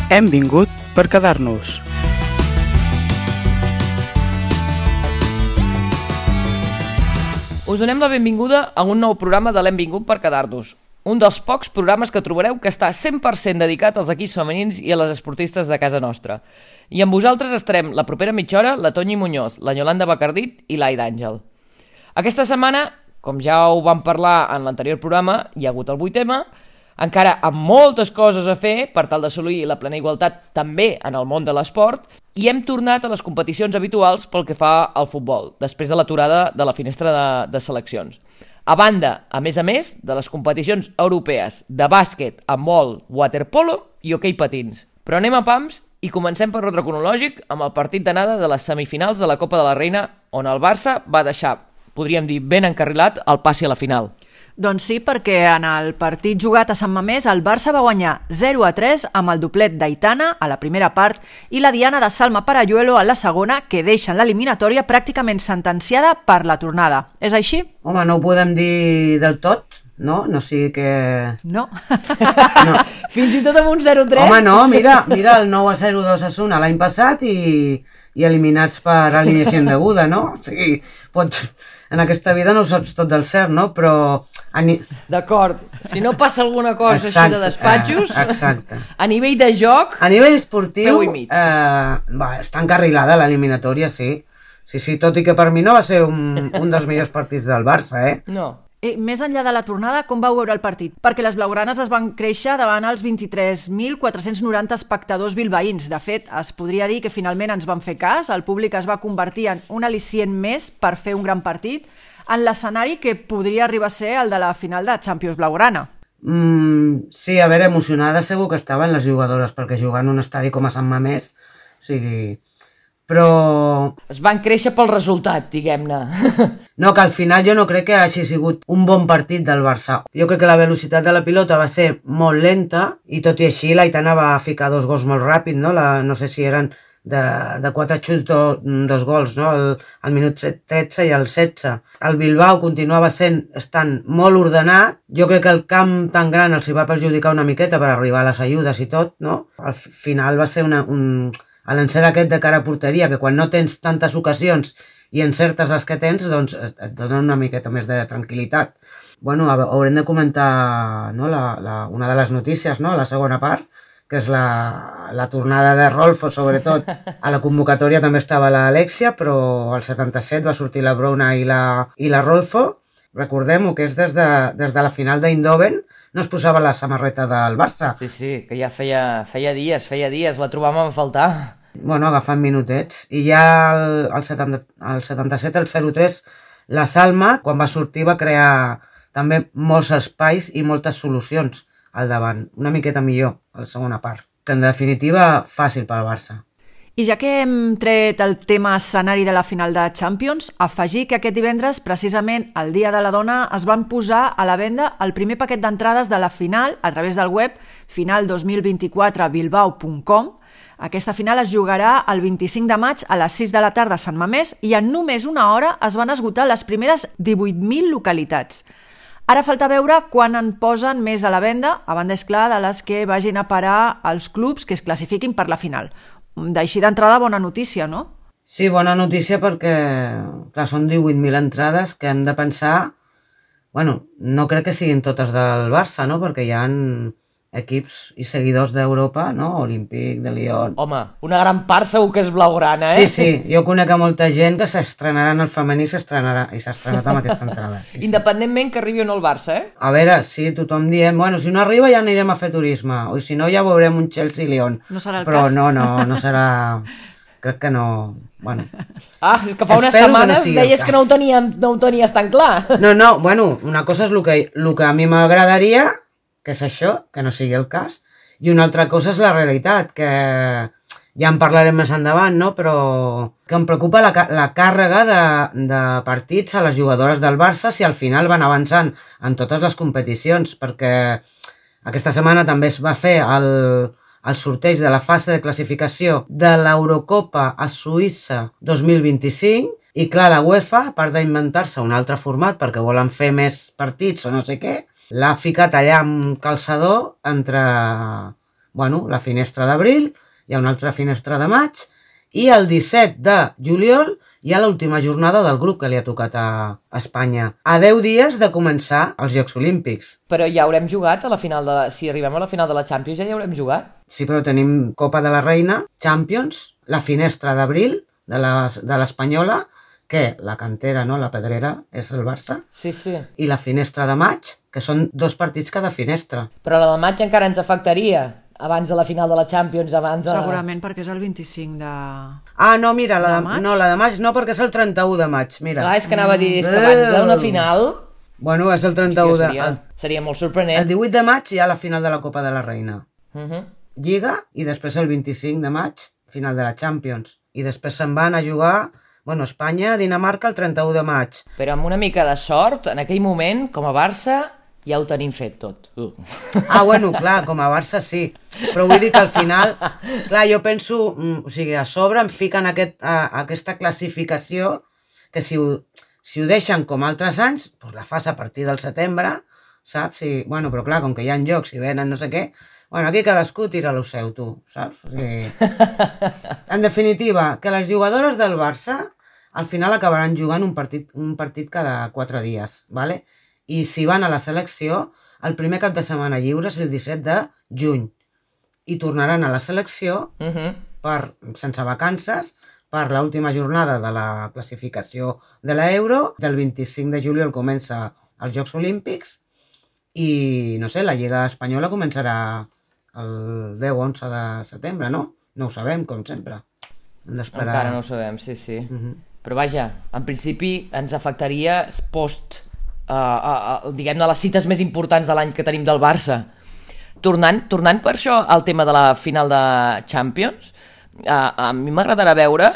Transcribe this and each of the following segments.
Hem vingut per quedar-nos. Us donem la benvinguda a un nou programa de l'Hem vingut per quedar-nos. Un dels pocs programes que trobareu que està 100% dedicat als equips femenins i a les esportistes de casa nostra. I amb vosaltres estarem la propera mitja hora la Toñi Muñoz, la Yolanda Bacardit i l'Aida Àngel. Aquesta setmana, com ja ho vam parlar en l'anterior programa, hi ha hagut el 8M, encara amb moltes coses a fer per tal d'assolir la plena igualtat també en el món de l'esport, i hem tornat a les competicions habituals pel que fa al futbol, després de l'aturada de la finestra de seleccions. A banda, a més, de les competicions europees de bàsquet, handbol, waterpolo i hoquei patins. Però anem a pams i comencem per ordre cronològic amb el partit d'anada de les semifinals de la Copa de la Reina, on el Barça va deixar, podríem dir, ben encarrilat el passi a la final. Doncs sí, perquè en el partit jugat a Sant Mamés el Barça va guanyar 0-3 amb el doblet d'Aitana a la primera part i la diana de Salma Parayuelo a la segona, que deixen l'eliminatòria pràcticament sentenciada per la tornada. És així? Home, no ho podem dir del tot, no? No sigui que... No. No. Fins i tot amb un 0-3? Home, no, mira el 9-0-2 a Osasuna l'any passat i eliminats per alineació indeguda, no? O sigui, en aquesta vida no ho saps tot del cert, no? Però... D'acord, si no passa alguna cosa exacte, així de despatxos, exacte. A nivell de joc... A nivell esportiu, peu i mig. Està encarrilada l'eliminatòria, sí. Sí, tot i que per mi no va ser un dels millors partits del Barça, eh? No. Més enllà de la tornada, com vau veure el partit? Perquè les blaugranes es van créixer davant els 23.490 espectadors bilbaïns. De fet, es podria dir que finalment ens van fer cas, el públic es va convertir en un al·licient més per fer un gran partit en l'escenari que podria arribar a ser el de la final de Champions blaugrana. Sí, a veure, emocionades segur que estaven les jugadores, perquè jugar en un estadi com a Sant Mamés, o sigui... Però... Es van créixer pel resultat, diguem-ne. No, que al final jo no crec que hagi sigut un bon partit del Barça. Jo crec que la velocitat de la pilota va ser molt lenta i tot i així l'Aitana va ficar 2 gols molt ràpid, no? No sé si eren de 4 xuts 2 gols, no? Al minut 13 i al 16. El Bilbao continuava estant molt ordenat. Jo crec que el camp tan gran els hi va perjudicar una miqueta per arribar a les ajudes i tot, no? Al final va ser a l'encert aquest de cara a porteria, que quan no tens tantes ocasions i encertes les que tens, doncs et dona una miqueta més de tranquil·litat. Bueno, haurem de comentar, no, una de les notícies, no, la segona part, que és la tornada de Rolfo, sobretot. A la convocatòria també estava l'Alexia, però al 77 va sortir la Bruna i la Rolfo. Recordem-ho, que és des de la final d'Eindhoven, no es posava la samarreta del Barça. Sí, que ja feia dies, la trobàvem a faltar. Bueno, agafant minutets. I ja al 77, el 0-3, la Salma, quan va sortir, va crear també molts espais i moltes solucions al davant. Una miqueta millor, a la segona part. Que en definitiva, fàcil pel Barça. I ja que hem tret el tema escenari de la final de Champions, afegir que aquest divendres, precisament el Dia de la Dona, es van posar a la venda el primer paquet d'entrades de la final a través del web final2024bilbao.com. Aquesta final es jugarà el 25 de maig a les 6 de la tarda a Sant Mamés i en només una hora es van esgotar les primeres 18.000 localitats. Ara falta veure quan en posen més a la venda, a banda, és clar, de les que vagin a parar els clubs que es classifiquin per la final. D'així d'entrada, bona notícia, no? Sí, bona notícia perquè, clar, són 18.000 entrades que hem de pensar... Bueno, no crec que siguin totes del Barça, no? Perquè hi ha equips i seguidors d'Europa, no? Olímpic, de Lyon... Home, una gran part segur que és blaugrana, eh? Sí, jo conec a molta gent que s'estrenarà en el femení i s'ha estrenat amb aquesta entrada. Sí. Independentment que arribi o no el Barça, eh? A veure, sí, tothom diem, bueno, si no arriba ja anirem a fer turisme, o si no ja veurem un Chelsea-Lyon. No serà el Però cas. no serà... Crec que no... Bueno. És que fa unes setmanes deies que no ho tenies tan clar. No, bueno, una cosa és el que a mi m'agradaria, que és això, que no sigui el cas, i una altra cosa és la realitat, que ja en parlarem més endavant, no? Però que em preocupa la càrrega de partits a les jugadores del Barça si al final van avançant en totes les competicions, perquè aquesta setmana també es va fer el sorteig de la fase de classificació de l'Eurocopa a Suïssa 2025 i clar, la UEFA, a part d'inventar-se un altre format perquè volen fer més partits o no sé què, l'ha ficat allà amb calçador entre bueno, la finestra d'abril, hi ha una altra finestra de maig, i el 17 de juliol hi ha l'última jornada del grup que li ha tocat a Espanya. A 10 dies de començar els Jocs Olímpics. Però ja haurem jugat a la final de la... Si arribem a la final de la Champions ja haurem jugat. Sí, però tenim Copa de la Reina, Champions, la finestra d'abril de l'Espanyola, que la cantera, no, la pedrera, és el Barça. Sí, sí. I la finestra de maig, que són 2 partits cada finestra. Però la del maig encara ens afectaria abans de la final de la Champions, abans de... Segurament perquè és el 25 de... Ah, no, mira, la maig? no, la de maig no, perquè és el 31 de maig, mira. Clar, és que anava a dir, és que abans d'una final... Bueno, és el 31 de... Seria molt sorprenent. El 18 de maig hi ha la final de la Copa de la Reina. Lliga, i després el 25 de maig, final de la Champions. I després se'n van a jugar... Bueno, Espanya, Dinamarca, el 31 de maig. Però amb una mica de sort, en aquell moment, com a Barça, ja ho tenim fet tot. Ah, bueno, clar, com a Barça sí. Però vull dir que al final... Clar, jo penso... O sigui, a sobre em fiquen aquesta classificació que si ho deixen com altres anys, doncs la fas a partir del setembre, saps? Bueno, però clar, com que hi ha jocs i venen no sé què... Bueno, aquí cadascú tira lo seu, tu, saps? O sigui... En definitiva, que les jugadores del Barça al final acabaran jugant un partit cada 4 dies, ¿vale? I si van a la selecció, el primer cap de setmana lliure és el 17 de juny. I tornaran a la selecció sense vacances per l'última jornada de la classificació de l'Euro. Del 25 de juliol comença els Jocs Olímpics i, no sé, la Lliga Espanyola començarà el 10-11 de setembre, no? No ho sabem, com sempre. Hem d'esperar. Encara no ho sabem, sí, sí. Però vaja, en principi ens afectaria post, diguem-ne, les cites més importants de l'any que tenim del Barça. Tornant per això al tema de la final de Champions, a mi m'agradarà veure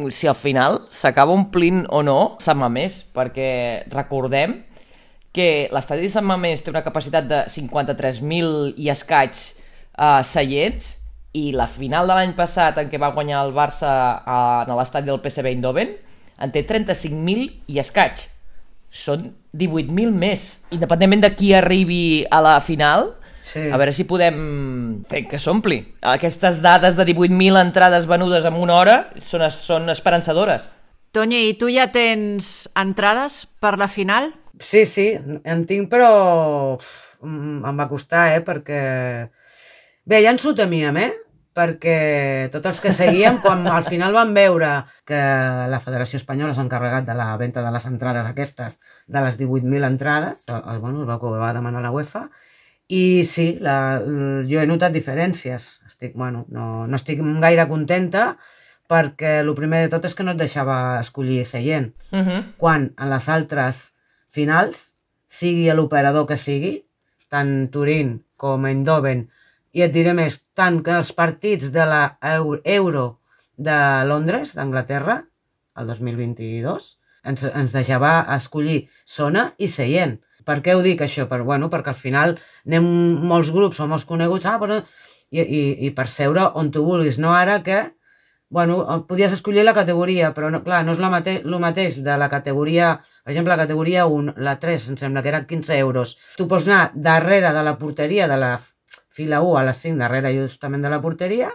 si al final s'acaba omplint o no Sant Mamés, perquè recordem que l'estadi de Sant Mamés té una capacitat de 53.000 i escaig seients, i la final de l'any passat en què va guanyar el Barça a l'estadi del PSV Eindhoven en té 35.000 i escaig. Són 18.000 més. Independentment de qui arribi a la final, a veure si podem fer que s'ompli. Aquestes dades de 18.000 entrades venudes en una hora són esperançadores. Toni, i tu ja tens entrades per la final? Sí, en tinc, però em va costar, perquè... Bé, ja ens ho temíem, perquè tots els que seguíem, quan al final van veure que la Federació Espanyola s'ha encarregat de la venda de les entrades aquestes, de les 18.000 entrades, bueno, va demanar la UEFA, i sí, jo he notat diferències. No estic gaire contenta, perquè el primer de tot és que no et deixava escollir seient. Quan en les altres finals, sigui l'operador que sigui, tant Turín com Eindhoven, i et diré més, tant que els partits de l'Euro de Londres, d'Anglaterra, el 2022, ens deixava escollir zona i seient. Per què ho dic, això? Perquè al final anem molts grups o molts coneguts, i per seure on tu vulguis, no ara que, podies escollir la categoria, però clar, no és el mateix de la categoria, per exemple, la categoria 1, la 3, em sembla que eren 15 euros. Tu pots anar darrere de la porteria de la fila 1 a les 5, darrere justament de la porteria,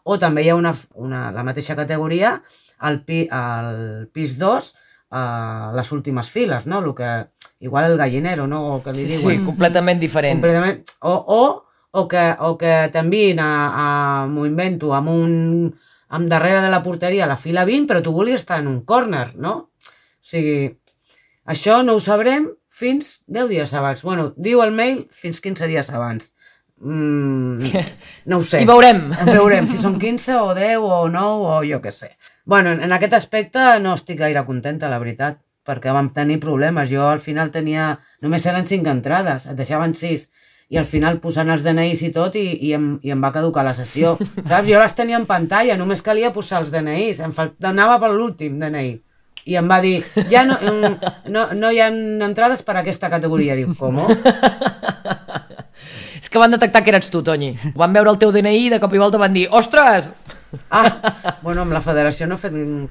o també hi ha la mateixa categoria al pis 2, a les últimes files, no? Igual el gallinero, no? O que li diuen. Sí, completament diferent. O que t'envien m'ho invento, amb darrere de la porteria a la fila 20, però tu volies estar en un córner, no? O sigui, això no ho sabrem fins 10 dies abans. Diu el mail fins 15 dies abans. No ho sé. I veurem. Veurem si són 15 o 10 o 9 o jo què sé. En aquest aspecte no estic gaire contenta, la veritat, perquè vam tenir problemes. Jo al final només eren 5 entrades, et deixaven 6, i al final posant els DNIs i tot i em va caducar la sessió. Saps? Jo les tenia en pantalla, només calia posar els DNIs, anava per l'últim DNI. I em va dir, ja no hi ha entrades per a aquesta categoria. Diu, com? És que van detectar que eres tu, Toni. Van veure el teu DNI i de cop i volta van dir, ostres! Amb la Federació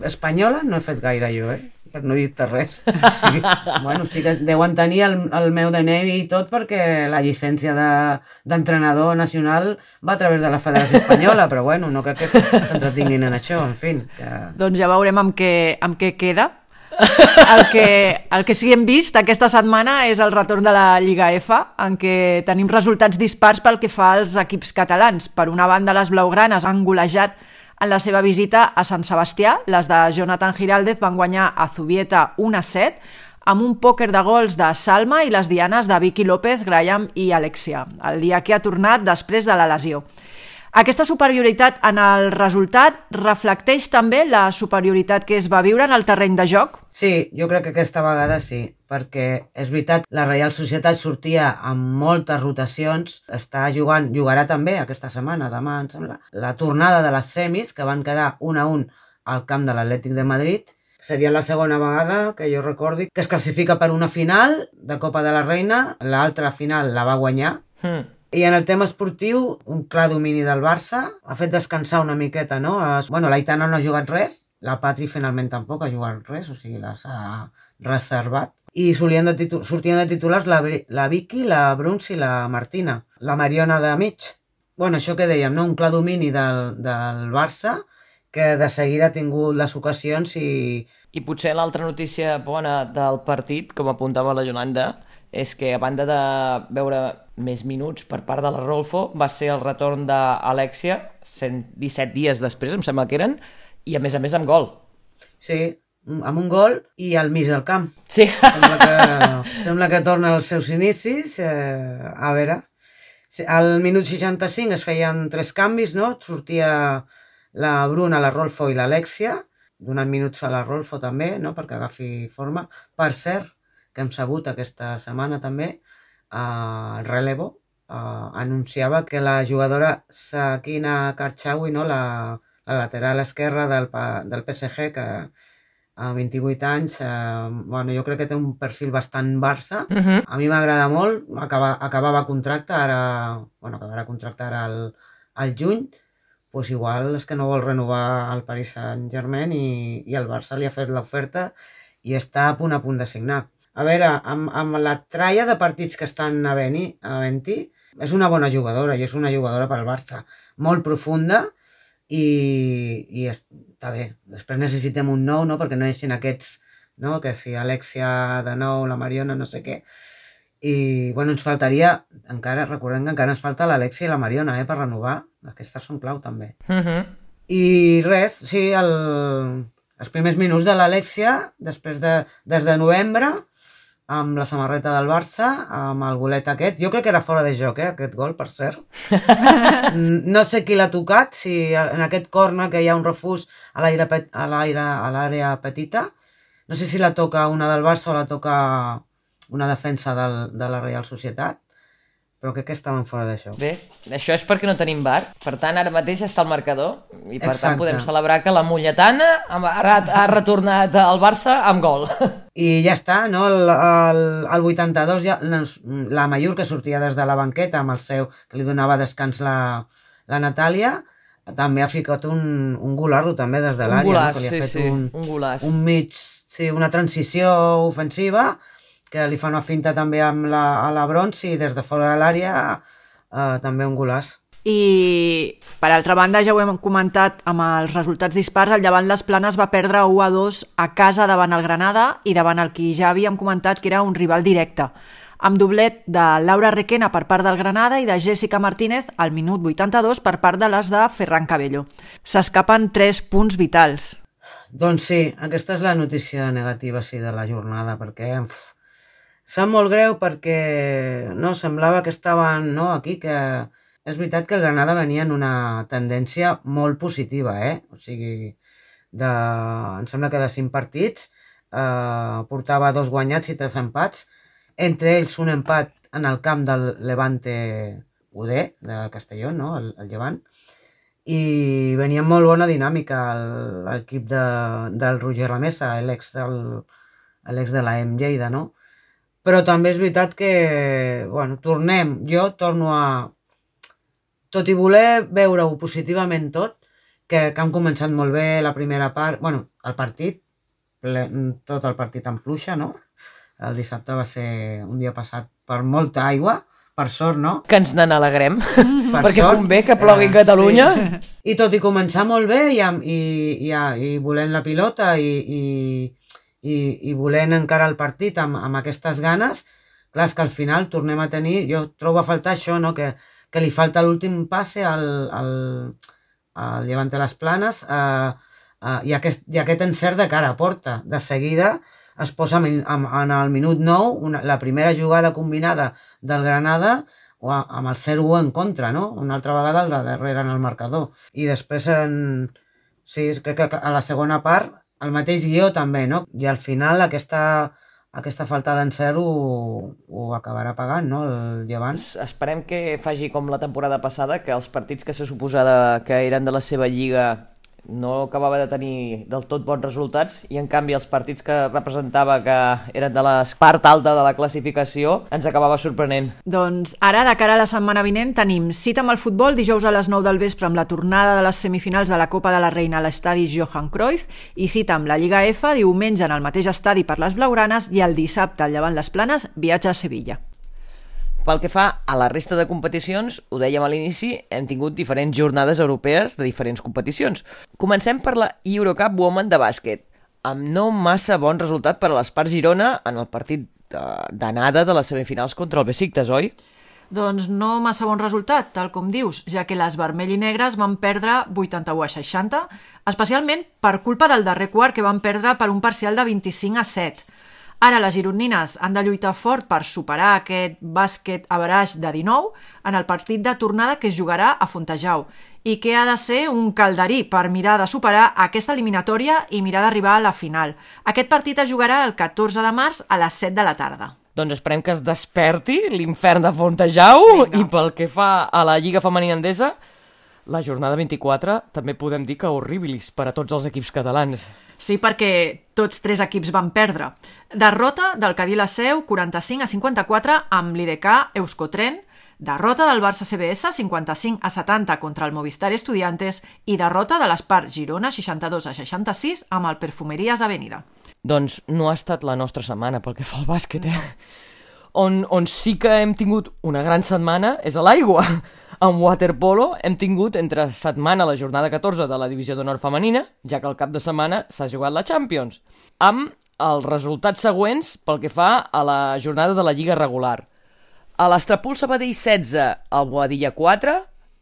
Espanyola no he fet gaire jo, per no dir-te res. Sí. Bueno, sí que deuen tenir el meu DNI i tot perquè la llicència d'entrenador nacional va a través de la Federació Espanyola, però bueno, no crec que s'entretinguin en això, en fi. Que... Doncs ja veurem amb què queda. El que sí que hem vist aquesta setmana és el retorn de la Lliga F, en què tenim resultats dispars pel que fa als equips catalans. Per una banda, les blaugranes han golejat en la seva visita a Sant Sebastià. Les de Jonathan Giraldez van guanyar a Zubieta 1-7, amb un pòquer de gols de Salma i les dianes de Vicky López, Graham i Alexia, el dia que ha tornat després de la lesió. Aquesta superioritat en el resultat reflecteix també la superioritat que es va viure en el terreny de joc? Sí, jo crec que aquesta vegada sí, perquè és veritat, la Reial Societat sortia amb moltes rotacions, jugarà també aquesta setmana, demà em sembla, la tornada de les semis, que van quedar 1-1 al camp de l'Atlètic de Madrid. Seria la segona vegada que jo recordi que es classifica per una final de Copa de la Reina, l'altra final la va guanyar. I en el tema esportiu, un clar domini del Barça, ha fet descansar una miqueta, no? Bueno, l'Aitana no ha jugat res, la Patri finalment tampoc ha jugat res, o sigui, s'ha reservat. I sortien de titulars la Vicky, la Bruns i la Martina, la Mariona de mig. Bueno, això que dèiem, no? Un clar domini del Barça, que de seguida ha tingut les ocasions i... I potser l'altra notícia bona del partit, com apuntava la Yolanda, és que a banda de veure més minuts per part de la Rolfo, va ser el retorn d'Alexia, 117 dies després, em sembla que eren, i a més amb gol. Sí, amb un gol i al mig del camp. Sí. Sembla que torna als seus inicis. A veure, al minut 65 es feien 3 canvis, no? Sortia la Bruna, la Rolfo i l'Alexia, donant minuts a la Rolfo també, no? Perquè agafi forma. Per cert, que hem sabut aquesta setmana també, el relevo anunciava que la jugadora Sakina Karchaoui, no? la lateral esquerra del PSG, que a 28 anys, bueno, jo crec que té un perfil bastant Barça. A mi m'agrada molt, acabava contracte, acabarà contracte ara al juny, doncs igual és que no vol renovar el Paris Saint-Germain i el Barça li ha fet l'oferta i està a punt de signar. A veure, amb la tralla de partits que estan havent-hi, és una bona jugadora i és una jugadora pel Barça, molt profunda i està bé. Després necessitem un nou, no? Perquè no deixin aquests, no? Que si Alexia de nou, la Mariona, no sé què. I, bueno, ens faltaria, recordem que encara ens falta l'Alexia i la Mariona, per renovar. Aquestes són clau, també. I res, sí, els primers minuts de l'Alexia, des de novembre, amb la samarreta del Barça, amb el golet aquest. Jo crec que era fora de joc, aquest gol, per cert. No sé qui l'ha tocat, si en aquest córner que hi ha un refús a l'àrea petita. No sé si la toca una del Barça o la toca una defensa de la Reial Societat, però crec que estaven fora d'això. Bé, això és perquè no tenim VAR, per tant ara mateix està al marcador i per tant podem celebrar que la Molletana ha retornat al Barça amb gol. I ja està, no? Al 82 ja, la Mallorca sortia des de la banqueta amb el seu, que li donava descans la Natàlia, també ha ficat un golarro també des de l'àrea. Un golaç, no? sí, un golaç. Un mig, sí, una transició ofensiva, que li fa una finta també a la Brons i des de fora de l'àrea també un golaç. I per altra banda, ja ho hem comentat amb els resultats dispars, el Llevant Les Planes va perdre 1-2 a casa davant el Granada i davant el qui ja havíem comentat que era un rival directe, amb doblet de Laura Requena per part del Granada i de Jessica Martínez al minut 82 per part de les de Ferran Cabello. S'escapen 3 punts vitals. Doncs sí, aquesta és la notícia negativa de la jornada, perquè sap molt greu perquè no, semblava que estaven aquí, que és veritat que el Granada venia en una tendència molt positiva, o sigui, em sembla que de 5 partits portava 2 guanyats i 3 empats, entre ells un empat en el camp del Levante UD de Castelló, no? El Llevant, i venia amb molt bona dinàmica l'equip del Roger Lamesa, l'ex de la EM Lleida, no? Però també és veritat que, bueno, jo torno a, tot i voler veure-ho positivament tot, que han començat molt bé la primera part, bueno, el partit, tot el partit en pluja, no? El dissabte va ser un dia passat per molta aigua, per sort, no? Que ens n'alegrem, Per perquè sort, convé que plogui a Catalunya. Sí. I tot i començar molt bé i volent la pilota i volent encara el partit amb aquestes ganes, clar, és que al final tornem a tenir... Jo trobo a faltar això, no? Que li falta l'últim passe al Levante les Planes i aquest encert de cara a porta. De seguida es posa en el minut 9 la primera jugada combinada del Granada amb el 0-1 en contra, no? Una altra vegada el de darrere en el marcador. I després, sí, crec que a la segona part, el mateix guió també, no? I al final aquesta falta d'encert ho acabarà pagant, no? El Llevant. Esperem que faci com la temporada passada, que els partits que se suposava que eren de la seva lliga no acabava de tenir del tot bons resultats i en canvi els partits que representava que eren de la part alta de la classificació ens acabava sorprenent. Doncs ara, de cara a la setmana vinent, tenim cita amb el futbol dijous a les 9 del vespre amb la tornada de les semifinals de la Copa de la Reina a l'estadi Johan Cruyff i cita amb la Lliga F diumenge en el mateix estadi per les blaugranes i el dissabte al Llevant les Planes viatja a Sevilla. Pel que fa a la resta de competicions, ho dèiem a l'inici, hem tingut diferents jornades europees de diferents competicions. Comencem per la Eurocup Women de bàsquet, amb no massa bon resultat per a l'Espart Girona en el partit d'anada de les semifinals contra el Besiktas, oi? Doncs no massa bon resultat, tal com dius, ja que les vermell i negres van perdre 81-60, especialment per culpa del darrer quart que van perdre per un parcial de 25-7. Ara les gironines han de lluitar fort per superar aquest bàsquet average de 19 en el partit de tornada que es jugarà a Fontejau i que ha de ser un calderí per mirar de superar aquesta eliminatòria i mirar d'arribar a la final. Aquest partit es jugarà el 14 de març a les 7 de la tarda. Doncs esperem que es desperti l'infern de Fontejau. Vinga. I pel que fa a la Lliga Femenina Endesa, la jornada 24 també podem dir que horribilis per a tots els equips catalans. Sí, perquè tots 3 equips van perdre. Derrota del Cadí la Seu 45-54 amb l'IDK Euskotren, derrota del Barça CBS 55-70 contra el Movistar Estudiantes i derrota de l'Espart Girona 62-66 amb el Perfumerías Avenida. Doncs no ha estat la nostra setmana pel que fa al bàsquet, On sí que hem tingut una gran setmana és a l'aigua. En waterpolo hem tingut entre setmana la jornada 14 de la Divisió d'Honor femenina, ja que al cap de setmana s'ha jugat la Champions, amb els resultats següents pel que fa a la jornada de la Lliga regular. A l'Estrapol Sabadell 16, al Boadilla 4,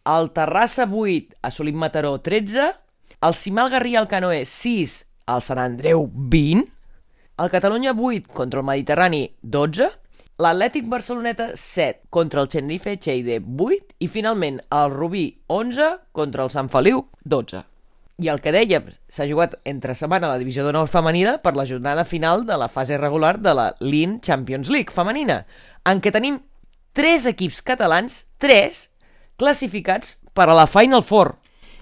al Terrassa 8, a Solim Mataró 13, al Cimal Garriga al Canoe 6, al Sant Andreu 20, al Catalunya 8 contra el Mediterrani 12, l'Atlètic Barceloneta 7 contra el Tenerife Lleida 8 i finalment el Rubí 11 contra el Sant Feliu 12. I el que dèiem, s'ha jugat entre setmana a la Divisió d'Honor femenina per la jornada final de la fase regular de la LIN Champions League femenina, en què tenim 3 equips catalans, 3 classificats per a la Final Four.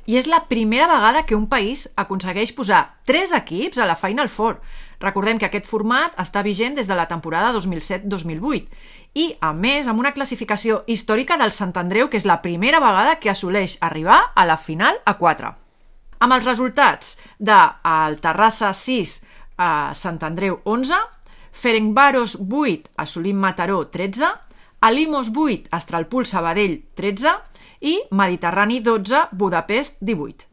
I és la primera vegada que un país aconsegueix posar 3 equips a la Final Four. Recordem que aquest format està vigent des de la temporada 2007-2008 i, a més, amb una classificació històrica del Sant Andreu, que és la primera vegada que assoleix arribar a la final a 4. Amb els resultats del Terrassa 6 a Sant Andreu 11, Ferencváros 8 a Solim Mataró 13, Alimos 8 a Estralpul Sabadell 13 i Mediterrani 12, Budapest 18.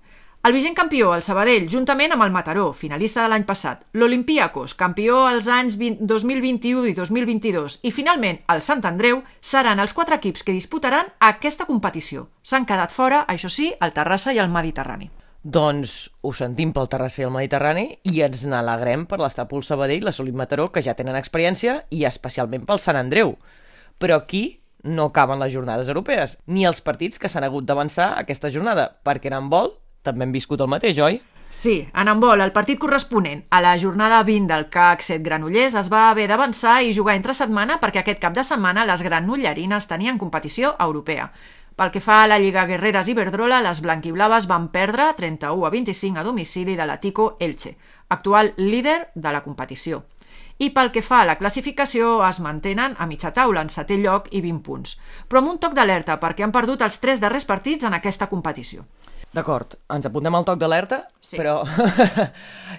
El vigent campió, el Sabadell, juntament amb el Mataró, finalista de l'any passat, l'Olympiakos, campió als anys 2021 i 2022, i finalment el Sant Andreu, seran els 4 equips que disputaran aquesta competició. S'han quedat fora, això sí, el Terrassa i el Mediterrani. Doncs ho sentim pel Terrassa i el Mediterrani i ens n'alegrem per l'Estrapol Sabadell i la Solim Mataró, que ja tenen experiència, i especialment pel Sant Andreu. Però aquí no acaben les jornades europees, ni els partits que s'han hagut d'avançar aquesta jornada, perquè en handbol també hem viscut el mateix, oi? Sí, en handbol, el partit corresponent a la jornada 20 del CAC 7 Granollers es va haver d'avançar i jugar entre setmana perquè aquest cap de setmana les granollerines tenien competició europea. Pel que fa a la Lliga Guerreres Iberdrola, les blanquiblaves van perdre 31-25 a domicili de l'Atico Elche, actual líder de la competició. I pel que fa a la classificació es mantenen a mitja taula en 7è lloc i 20 punts, però amb un toc d'alerta perquè han perdut els 3 darrers partits en aquesta competició. D'acord, ens apuntem al toc d'alerta, Sí. però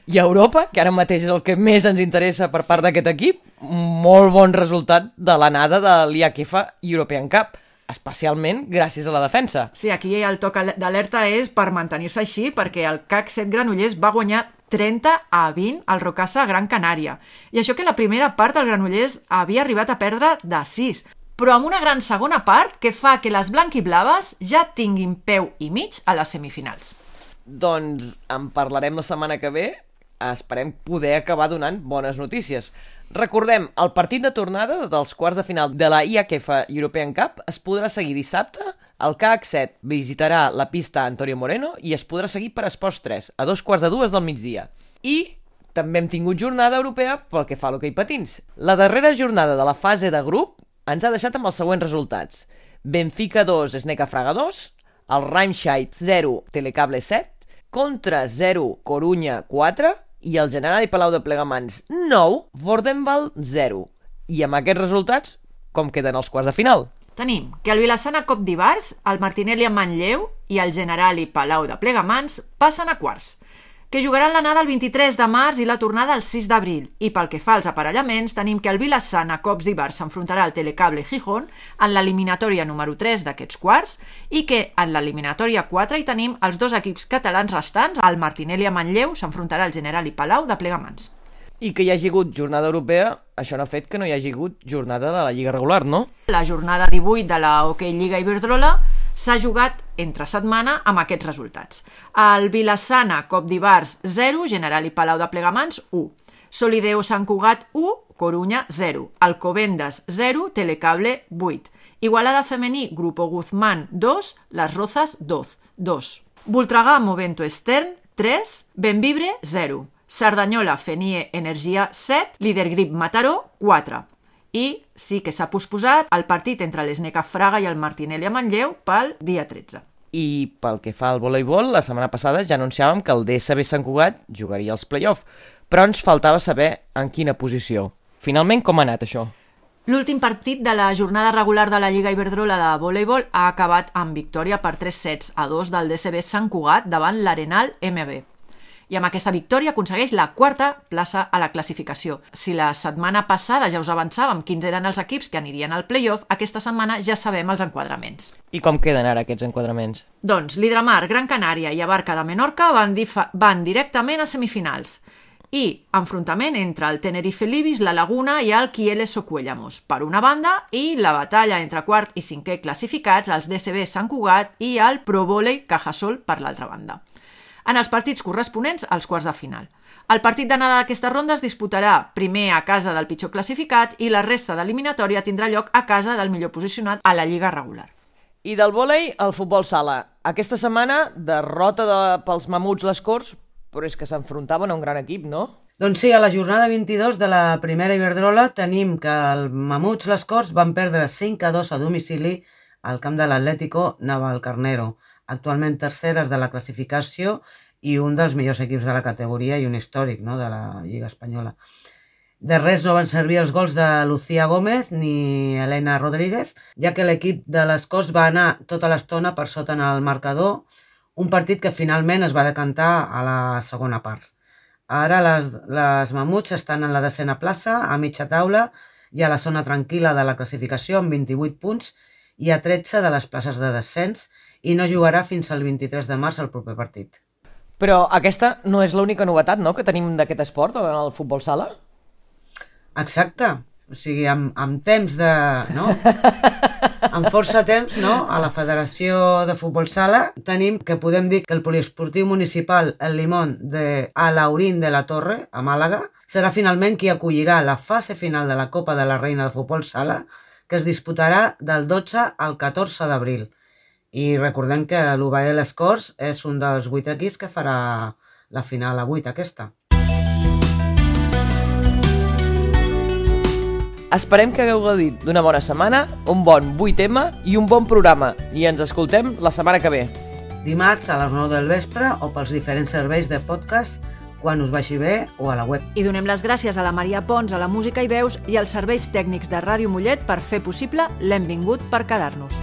i a Europa, que ara mateix és el que més ens interessa per part d'aquest equip, molt bon resultat de l'anada de l'IAKF European Cup, especialment gràcies a la defensa. Sí, aquí el toc d'alerta és per mantenir-se així, perquè el CAC 7 Granollers va guanyar 30-20 al Rocasa Gran Canària. I això que la primera part el Granollers havia arribat a perdre de 6, però amb una gran segona part que fa que les blanquiblaves ja tinguin peu i mig a les semifinals. Doncs en parlarem la setmana que ve, esperem poder acabar donant bones notícies. Recordem, el partit de tornada dels quarts de final de la IAKF European Cup es podrà seguir dissabte. El CAC 7 visitarà la pista Antonio Moreno i es podrà seguir per Esports 3 a 2:45 del migdia. I també hem tingut jornada europea pel que fa a l'hoquei patins. La darrera jornada de la fase de grup ens ha deixat amb els següents resultats. Benfica 2, Sneca Fraga 2, el Remscheid 0, Telecable 7, Contra 0, Corunya 4 i el Generali Palau de Plegamans 9, Vordenval 0. I amb aquests resultats, com queden els quarts de final? Tenim que el Vilassana Cop d'Ivars, el Martinelli en Manlleu i el Generali Palau de Plegamans passen a quarts, que jugaran l'anada el 23 de març i la tornada el 6 d'abril. I pel que fa als aparellaments, tenim que el Vilassana Cops d'Ivars s'enfrontarà al Telecable Gijón en l'eliminatòria número 3 d'aquests quarts i que en l'eliminatòria 4 hi tenim els dos equips catalans restants, el Martinelli a Manlleu s'enfrontarà al Generali Palau de Plegamans. I que hi hagi hagut jornada europea, això no ha fet que no hi hagi hagut jornada de la Lliga regular, no? La jornada 18 de la Hockey Lliga Iberdrola s'ha jugat entre setmana amb aquests resultats. El Vilassana Cop d'Ivars 0, Generali Palau de Plegamans 1. Solideo Sant Cugat 1, Corunya 0. Alcobendas 0, Telecable 8. Igualada Femení Grupo Guzmán 2, Las Rozas 2. Voltregà Movento Estern 3, Benvibre 0. Cerdanyola Fenie Energia 7, Líder Grip Mataró 4. I sí que s'ha posposat el partit entre l'Sneca Fraga i el Martinelli a Manlleu pel dia 13. I pel que fa al voleibol, la setmana passada ja anunciàvem que el DSB Sant Cugat jugaria els play-off, però ens faltava saber en quina posició. Finalment, com ha anat això? L'últim partit de la jornada regular de la Lliga Iberdrola de voleibol ha acabat amb victòria per 3-2 del DSB Sant Cugat davant l'Arenal MB. I amb aquesta victòria aconsegueix la quarta plaça a la classificació. Si la setmana passada ja us avançàvem quins eren els equips que anirien al play-off, aquesta setmana ja sabem els enquadraments. I com queden ara aquests enquadraments? Doncs l'Hidramar, Gran Canària i Abarca de Menorca van directament a semifinals. I enfrontament entre el Tenerife Libis, la Laguna i el Quieles Socuellamos, per una banda, i la batalla entre quart i cinquè classificats, els DSB Sant Cugat i el Pro Volei Cajasol per l'altra banda. En els partits corresponents als quarts de final. El partit d'anada d'aquesta ronda es disputarà primer a casa del pitjor classificat i la resta d'eliminatòria tindrà lloc a casa del millor posicionat a la Lliga regular. I del vòlei al futbol sala. Aquesta setmana, derrota pels Mamuts Les Corts, però és que s'enfrontaven a un gran equip, no? Doncs sí, a la jornada 22 de la primera Iberdrola tenim que el Mamuts Les Corts van perdre 5-2 a domicili al camp de l'Atlético Navalcarnero, actualment terceres de la classificació i un dels millors equips de la categoria i un històric, no?, de la Lliga Espanyola. De res no van servir els gols de Lucía Gómez ni Elena Rodríguez, ja que l'equip de les Corts va anar tota l'estona per sota en el marcador, un partit que finalment es va decantar a la segona part. Ara les Mamuts estan en la 10a plaça, a mitja taula i a la zona tranquil·la de la classificació amb 28 punts i a 13 de les places de descens, i no jugarà fins al 23 de març el proper partit. Però aquesta no és l'única novetat, no?, que tenim d'aquest esport, en el futbol sala? Exacte. O sigui, amb temps de... no? Amb força temps, no?, a la Federació de Futbol Sala tenim que podem dir que el poliesportiu municipal El Limón de Alaurín de la Torre, a Màlaga, serà finalment qui acollirà la fase final de la Copa de la Reina de Futbol Sala, que es disputarà del 12 al 14 d'abril. I recordem que l'UBAE Les Corts és un dels 8 equips que farà la final a 8 aquesta. Esperem que hagueu gaudit d'una bona setmana, un bon 8M i un bon programa. I ens escoltem la setmana que ve. Dimarts a les 9 del vespre o pels diferents serveis de podcast quan us vagi bé o a la web. I donem les gràcies a la Maria Pons, a la música i veus i als serveis tècnics de Ràdio Mollet per fer possible l'Hem vingut per quedar-nos.